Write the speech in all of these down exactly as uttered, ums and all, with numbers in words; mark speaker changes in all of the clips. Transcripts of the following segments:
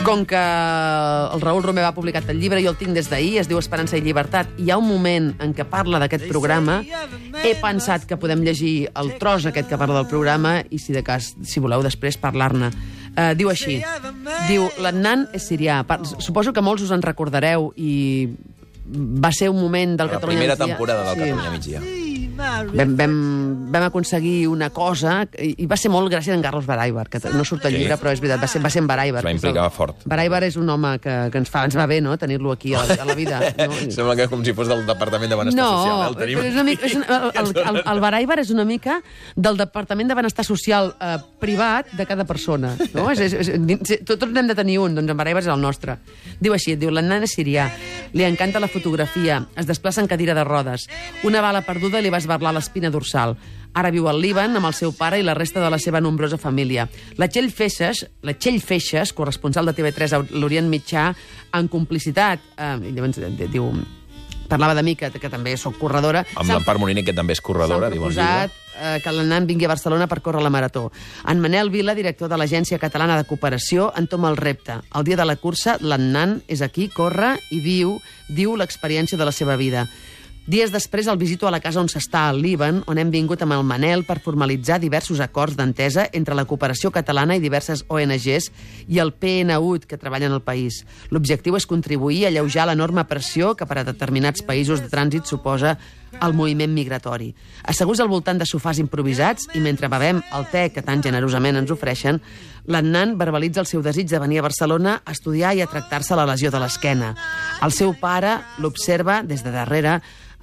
Speaker 1: Com que el Raül Romeva ha publicat el llibre, jo el tinc des d'ahir, es diu Esperança i Llibertat, i hi ha un moment en què parla d'aquest programa, he pensat que podem llegir el tros aquest que parla del programa i, si de cas, si voleu després, parlar-ne. Uh, diu així, diu, l'Adnan és sirià. Suposo que molts us en recordareu i va ser un moment del
Speaker 2: La
Speaker 1: Catalunya
Speaker 2: primera
Speaker 1: migdia.
Speaker 2: temporada del
Speaker 1: Sí.
Speaker 2: Catalunya migdia.
Speaker 1: Vam, vam, vam aconseguir una cosa i, i va ser molt gràcies a en Carlos Baraibar, que no surt al
Speaker 2: Sí.
Speaker 1: llibre, però és veritat, va ser, va ser en Baraibar.
Speaker 2: Es va implicar fort.
Speaker 1: Baraibar és un home que, que ens, fa, ens va bé, no?, tenir-lo aquí a la, a la vida. No?
Speaker 2: Sembla que com si fos del Departament de Benestar
Speaker 1: No,
Speaker 2: Social. Eh? El tenim...
Speaker 1: però és una mica, és una, el, el, el Baraibar és una mica del Departament de Benestar Social eh, privat de cada persona. No? És, és, és, tots n'hem de tenir un, doncs en Baraibar és el nostre. Diu així, diu, l'Adnan és sirià, li encanta la fotografia, es desplaça en cadira de rodes. Una bala perduda li va esberlar l'espina dorsal. Ara viu al Líban amb el seu pare i la resta de la seva nombrosa família. La Txell Feixes, la Txell Feixes, corresponsal de T V tres a l'Orient Mitjà, en complicitat, eh, llavors diu, parlava de mi, que, que també sóc corredora.
Speaker 2: Amb l'Empar Moliner, que també és corredora, diu el llibre.
Speaker 1: Eh, que l'Adnan vingui a Barcelona per córrer la marató. En Manel Vila, director de l'Agència Catalana de Cooperació, entoma el repte. El dia de la cursa, l'Adnan és aquí, corre i viu, diu l'experiència de la seva vida. Dies després el visito a la casa on s'està, al Líban, on hem vingut amb el Manel per formalitzar diversos acords d'entesa entre la cooperació catalana i diverses O N Ges i el P N U D que treballen al país. L'objectiu és contribuir a alleujar l'enorme pressió que per a determinats països de trànsit suposa el moviment migratori. Asseguts al voltant de sofàs improvisats i mentre bevem el te que tan generosament ens ofereixen, l'Adnan verbalitza el seu desig de venir a Barcelona a estudiar i a tractar-se la lesió de l'esquena. El seu pare l'observa des de darrere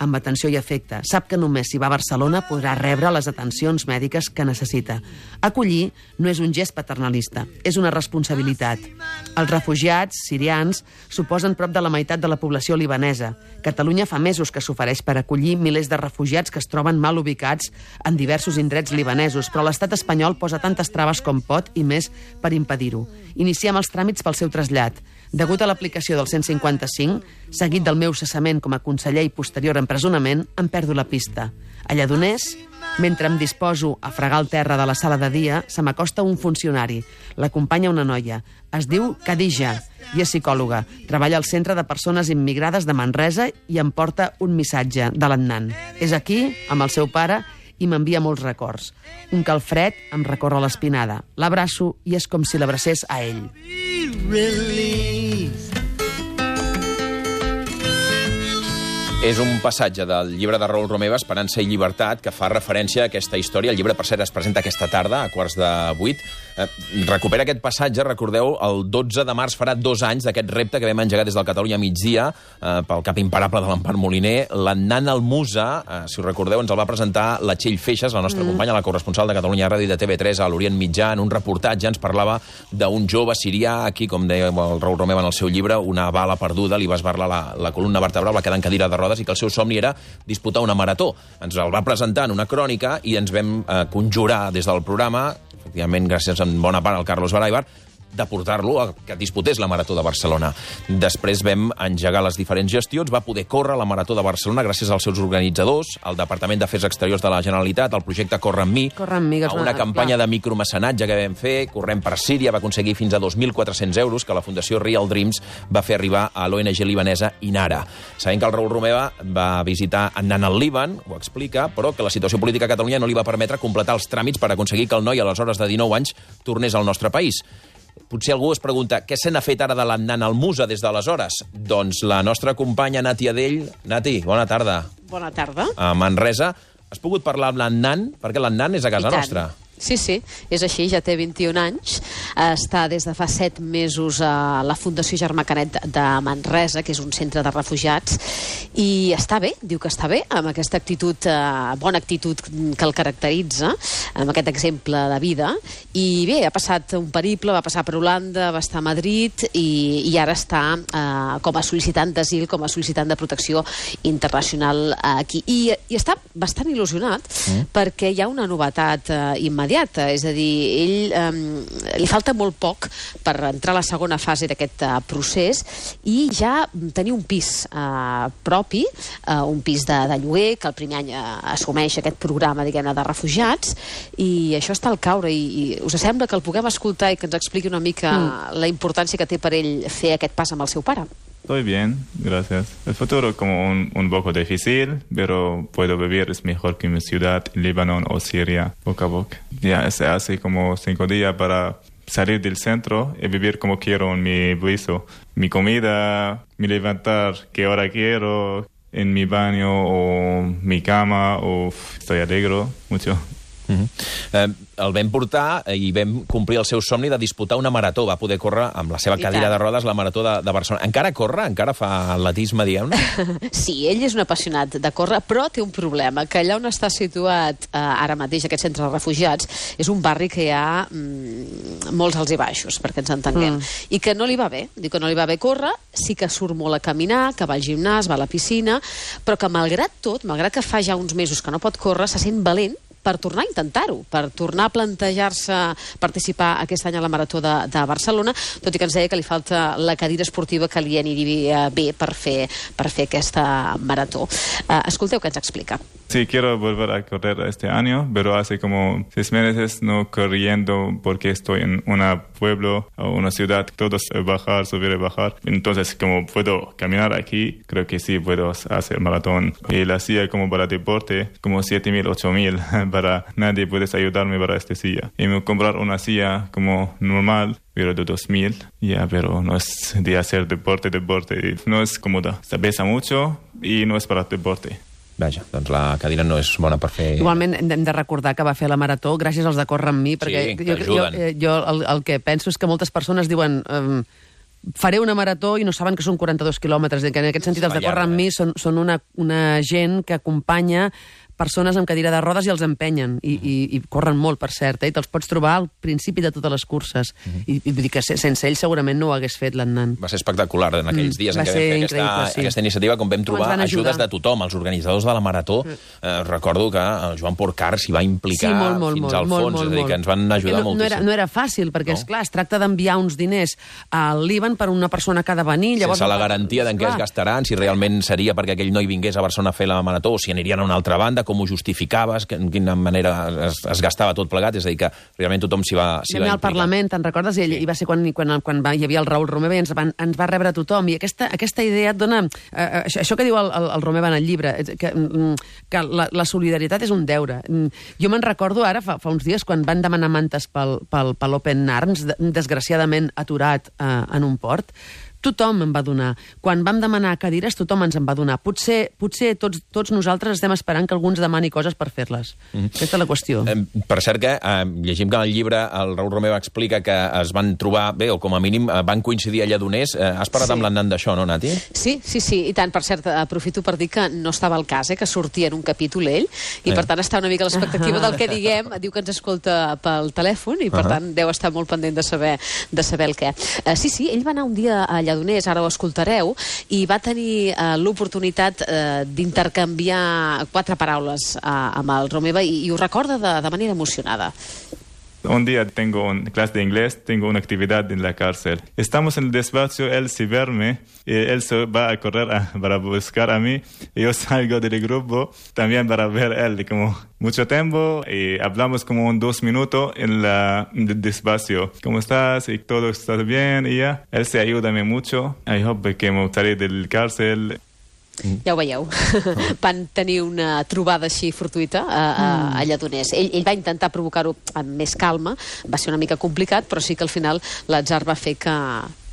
Speaker 1: amb atenció i afecte. Sap que només si va a Barcelona podrà rebre les atencions mèdiques que necessita. Acollir no és un gest paternalista, és una responsabilitat. Els refugiats sirians suposen prop de la meitat de la població libanesa. Catalunya fa mesos que s'ofereix per acollir milers de refugiats que es troben mal ubicats en diversos indrets libanesos, però l'estat espanyol posa tantes traves com pot i més per impedir-ho. Iniciem els tràmits pel seu trasllat. Degut a l'aplicació del cent cinquanta cinc, seguit del meu cessament com a conseller i posterior empresonament, em perdo la pista. A Lledoners, mentre em disposo a fregar el terra de la sala de dia, se m'acosta un funcionari. L'acompanya una noia. Es diu Khadija i és psicòloga. Treballa al Centre de Persones Immigrades de Manresa i em porta un missatge de l'Adnan. És aquí, amb el seu pare, i m'envia molts records. Un calfred em recorre l'espinada. L'abraço i és com si l'abracés a ell.
Speaker 2: És un passatge del llibre de Raül Romeva, Esperança i Llibertat, que fa referència a aquesta història. El llibre, per cert, es presenta aquesta tarda, a quarts de vuit. Eh, recupera aquest passatge, recordeu, el dotze de març farà dos anys d'aquest repte que vam engegar des del Catalunya migdia, eh, pel cap imparable de l'Empar Moliner. L'Adnan Almusa, eh, si us recordeu, ens el va presentar la Txell Feixes, la nostra mm. companya, la corresponsal de Catalunya Ràdio i de T V tres a l'Orient Mitjà. En un reportatge ens parlava d'un jove sirià, aquí, com deia el Raül Romeva en el seu llibre, una bala perduda, li va esberlar la, la columna vertebral, va quedar en cadira de rodes i que el seu somni era disputar una marató. Ens el va presentar en una crònica i ens vam eh, conjurar des del programa, efectivament gràcies en bona part al Carlos Baraibar, de portar-lo a que disputés la Marató de Barcelona. Després vam engegar les diferents gestions, va poder córrer la Marató de Barcelona gràcies als seus organitzadors, al Departament d'Afers Exteriors de la Generalitat, al projecte Corre amb mi,
Speaker 1: Corre amb mi, que és
Speaker 2: a una
Speaker 1: una-
Speaker 2: campanya
Speaker 1: clar.
Speaker 2: de micromecenatge que vam fer, corrent per Síria, va aconseguir fins a dos mil quatre-cents euros que la Fundació Real Dreams va fer arribar a l'O N G libanesa Inara. Sabem que el Raül Romeva va visitar anant al Líban, ho explica, però que la situació política a Catalunya no li va permetre completar els tràmits per aconseguir que el noi, aleshores de dinou anys, tornés al nostre país. Potser algú es pregunta què se n'ha fet ara de l'Adnan Almusa des d'aleshores? Doncs la nostra companya Nati Adell. Nati, bona tarda.
Speaker 3: Bona tarda.
Speaker 2: A Manresa. Has pogut parlar amb l'Adnan? Perquè l'Adnan és a casa
Speaker 3: I tant.
Speaker 2: nostra.
Speaker 3: Sí, sí, és així, ja té vint-i-un anys, està des de fa set mesos a la Fundació Germà Canet de Manresa, que és un centre de refugiats, i està bé, diu que està bé, amb aquesta actitud, eh, bona actitud que el caracteritza, amb aquest exemple de vida, i bé, ha passat un periple, va passar per Holanda, va estar a Madrid, i, i ara està eh, com a sol·licitant d'asil, com a sol·licitant de protecció internacional aquí. I, i està bastant il·lusionat, mm. perquè hi ha una novetat eh, immediata immediata, és a dir, ell eh, li falta molt poc per entrar a la segona fase d'aquest eh, procés i ja tenir un pis eh, propi, eh, un pis de, de lloguer, que el primer any eh, assumeix aquest programa, diguem-ne, de refugiats, i això està al caure, i, i us sembla que el puguem escoltar i que ens expliqui una mica mm. la importància que té per ell fer aquest pas amb el seu pare?
Speaker 4: Estoy bien, gracias. El futuro es como un, un poco difícil, pero puedo vivir, es mejor que mi ciudad, Líbano o Siria, poco a poco. Ya se hace como cinco días para salir del centro y vivir como quiero en mi piso. Mi comida, mi levantar, qué hora quiero, en mi baño o mi cama, o estoy alegre mucho.
Speaker 2: Uh-huh. eh, el vam portar i vam complir el seu somni de disputar una marató. Va poder córrer amb la seva cadira de rodes la marató de, de Barcelona. Encara corre? Encara fa atletisme, diguem-ne?
Speaker 3: Sí, ell és un apassionat de córrer, però té un problema, que allà on està situat eh, ara mateix aquest centre de refugiats és un barri que hi ha mm, molts alts i baixos, perquè ens entenguem, mm. i que no li va bé. Diu que no li va bé córrer, sí que surt molt a caminar, que va al gimnàs, va a la piscina, però que malgrat tot, malgrat que fa ja uns mesos que no pot córrer, se sent valent per tornar a intentar-ho, per tornar a plantejar-se participar aquest any a la Marató de, de Barcelona, tot i que ens deia que li falta la cadira esportiva que li aniria bé per fer, per fer aquesta marató. Uh, escolteu què ens explica.
Speaker 4: Sí, quiero volver a correr este año, pero hace como seis meses no corriendo porque estoy en un pueblo o una ciudad, todos bajar, subir y bajar. Entonces, como puedo caminar aquí, creo que sí puedo hacer maratón. Y la silla como para deporte, como siete mil, ocho mil, para nadie puede ayudarme para esta silla. Y me comprar una silla como normal, pero de dos mil, ya, pero no es de hacer deporte, deporte, no es cómoda. Se pesa mucho y no es para deporte.
Speaker 2: Vaja, doncs la cadira no és bona per fer...
Speaker 1: Igualment hem de recordar que va fer la marató gràcies als de Córrer amb mi, perquè
Speaker 2: sí,
Speaker 1: jo, jo, jo el, el que penso és que moltes persones diuen um, faré una marató i no saben que són quaranta-dos quilòmetres, que en aquest sentit els de Córrer amb mi són, són una, una gent que acompanya persones amb cadira de rodes i els empenyen, i, i, i corren molt, per cert, eh? I te'ls pots trobar al principi de totes les curses. Uh-huh. I, i vull dir que sense ell segurament no ho hagués fet l'Annan.
Speaker 2: Va ser espectacular en aquells dies mm, en què vam fer aquesta, sí. aquesta iniciativa, com vam trobar ajudes de tothom, els organitzadors de la Marató. Mm. Eh, recordo que el Joan Porcar s'hi va implicar sí, molt, molt, fins molt, al fons, molt, molt, és a dir, que ens van ajudar no, moltíssim. No era, no era fàcil, perquè, no? Esclar, es tracta d'enviar uns diners al Líban per una persona que ha de venir. Llavors, sense la garantia d'en què es gastaran, si realment seria perquè aquell noi vingués a Barcelona a fer la Marató, o si anirien a una altra banda, com ho justificava, que, en quina manera es, es gastava tot plegat, és a dir, que realment tothom s'hi va, s'hi va implicar. Al Parlament, te'n recordes? I, sí. I va ser quan, quan, quan va, hi havia el Raül Romeva i ens, van, ens va rebre tothom. I aquesta, aquesta idea et dona... Eh, això, això que diu el, el, el Romeva en el llibre, que, que la, la solidaritat és un deure. Jo me'n recordo ara, fa, fa uns dies, quan van demanar mantes pel, pel, pel Open Arms, desgraciadament aturat eh, en un port, tothom em va donar. Quan vam demanar cadires, tothom ens en va donar. Potser, potser tots, tots nosaltres estem esperant que algú ens demani coses per fer-les. Mm. Aquesta és la qüestió. Eh, per cert que eh, llegim que en el llibre el Raül Romeva explica que es van trobar, bé, o com a mínim eh, van coincidir a Lledoners. Eh, has parlat sí. amb l'Annan d'això, no, Nati? Sí, sí, sí. I tant, per cert, aprofito per dir que no estava al cas, eh, que sortia en un capítol ell, i eh. per tant està una mica a l'expectativa del que diguem. Diu que ens escolta pel telèfon, i per uh -huh. tant deu estar molt pendent de saber, de saber el què. Uh, sí, sí, ell va anar un dia a Lledoners, ara ho escoltareu, i va tenir uh, l'oportunitat uh, d'intercanviar quatre paraules uh, amb el Romeva, i, i ho recorda de, de manera emocionada.
Speaker 4: Un día tengo una clase de inglés, tengo una actividad en la cárcel. Estamos en el despacho, él se verme, y él se va a correr a, para buscar a mí, y yo salgo del grupo también para ver a él, como mucho tiempo, y hablamos como un dos minutos en la, en el despacho. ¿Cómo estás? Y todo está bien, y ya. Él se ayuda mucho. I hope que me salí del cárcel.
Speaker 3: Ja ho veieu. Van tenir una trobada així fortuita a, a, a Lledoners. Ell, ell va intentar provocar-ho amb més calma, va ser una mica complicat, però sí que al final l'atzar va fer que,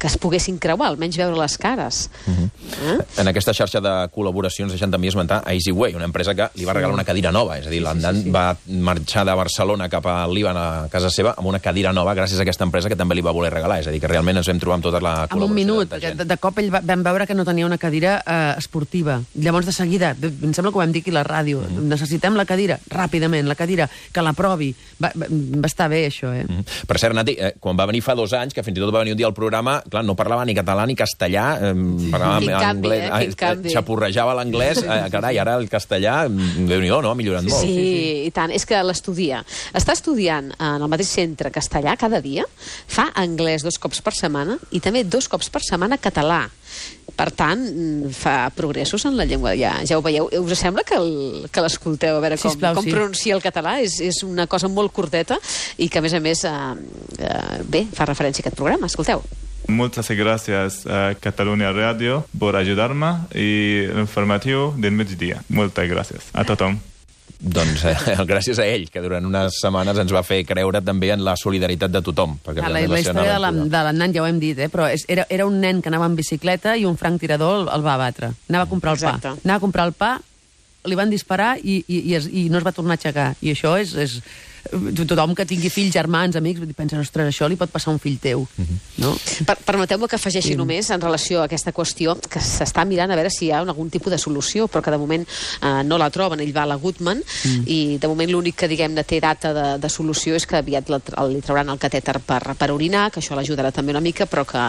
Speaker 3: que es poguessin creuar, almenys veure les cares. Uh-huh. eh? En aquesta xarxa de col·laboracions deixen també esmentar Easyway, una empresa que li va regalar una cadira nova, és a dir, l'Annan sí, sí, sí. va marxar de Barcelona cap al Líban, a casa seva, amb una cadira nova gràcies a aquesta empresa que també li va voler regalar, és a dir, que realment ens vam trobar amb tota la col·laboració. En un minut, de, de, de cop ell va, vam veure que no tenia una cadira eh, esportiva. Llavors, de seguida, em sembla que ho vam dir aquí a la ràdio, mm. necessitem la cadira, ràpidament, la cadira, que la provi. Va, va, va estar bé, això, eh? Mm. Per cert, Nati, eh, quan va venir fa dos anys, que fins i tot va venir un dia al programa,
Speaker 2: clar, no parlava ni català ni castellà, eh, parlava
Speaker 3: Quin canvi,
Speaker 2: anglès,
Speaker 3: eh? Quin canvi.
Speaker 2: xapurrejava l'anglès, eh, carai, ara el castellà, Déu-n'hi-do, no? Ha millorat molt.
Speaker 3: Sí, sí, i tant. És que l'estudia. Està estudiant en el mateix centre castellà cada dia, fa anglès dos cops per setmana i també dos cops per setmana català. Per tant, fa progressos en la llengua. Ja, ja ho veieu. Us sembla que l'escolteu a veure com,
Speaker 1: Sisplau,
Speaker 3: com
Speaker 1: sí.
Speaker 3: pronuncia el català? És, és una cosa molt curteta i que, a més a més, eh, eh, bé, fa referència a aquest programa. Escolteu.
Speaker 4: Muchas gracias a Catalunya Radio por ayudarme y el informativo del mediodía. Muchas gracias a tothom.
Speaker 2: Doncs eh, gràcies a ell, que durant unes setmanes ens va fer creure també en la solidaritat de tothom. Perquè
Speaker 1: La, la,
Speaker 2: realment va
Speaker 1: la
Speaker 2: ser una
Speaker 1: història de la-
Speaker 2: aventura.
Speaker 1: de l'Annan ja ho hem dit, eh? Però és, era, era un nen que anava en bicicleta i un franc tirador el, el va abatre. Anava a comprar el
Speaker 3: Exacte.
Speaker 1: pa. Anava a comprar el pa, li van disparar i, i, i, es, i no es va tornar a aixecar. I això és... és tothom que tingui fills, germans, amics, pensa, ostres, això li pot passar a un fill teu. No?
Speaker 3: Per, Permeteu-me que afegeixi
Speaker 1: Sí.
Speaker 3: només en relació a aquesta qüestió que s'està mirant a veure si hi ha algun tipus de solució, però que de moment eh, no la troben. Ell va a la Goodman mm. i de moment l'únic que diguem-ne té data de, de solució és que aviat la, el, li trauran el catèter per, per orinar, que això l'ajudarà també una mica, però que,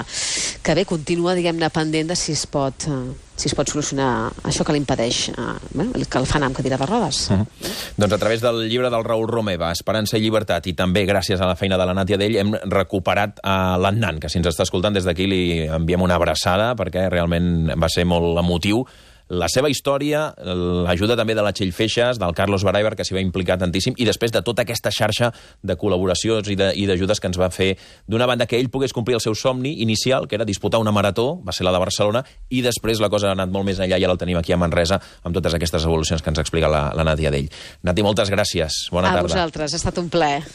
Speaker 3: que bé, continua, diguem-ne, pendent de si es pot... Eh, si es pot solucionar això que l'impedeix, eh, bueno, que el fa anar amb cadira de rodes.
Speaker 2: Uh -huh. Doncs a través del llibre del Raül Romeva, Esperança i llibertat, i també gràcies a la feina de la Nàtia Dell, hem recuperat a l'Annan, que si ens està escoltant des d'aquí li enviem una abraçada, perquè realment va ser molt emotiu la seva història, l'ajuda també de la Txell Feixas, del Carlos Baraibar, que s'hi va implicar tantíssim, i després de tota aquesta xarxa de col·laboracions i d'ajudes que ens va fer, d'una banda que ell pogués complir el seu somni inicial, que era disputar una marató, va ser la de Barcelona, i després la cosa ha anat molt més enllà i ara el tenim aquí a Manresa, amb totes aquestes evolucions que ens explica la, la Nàtia Dell. Nati, moltes gràcies. Bona
Speaker 3: A
Speaker 2: tarda.
Speaker 3: vosaltres, ha estat un plaer.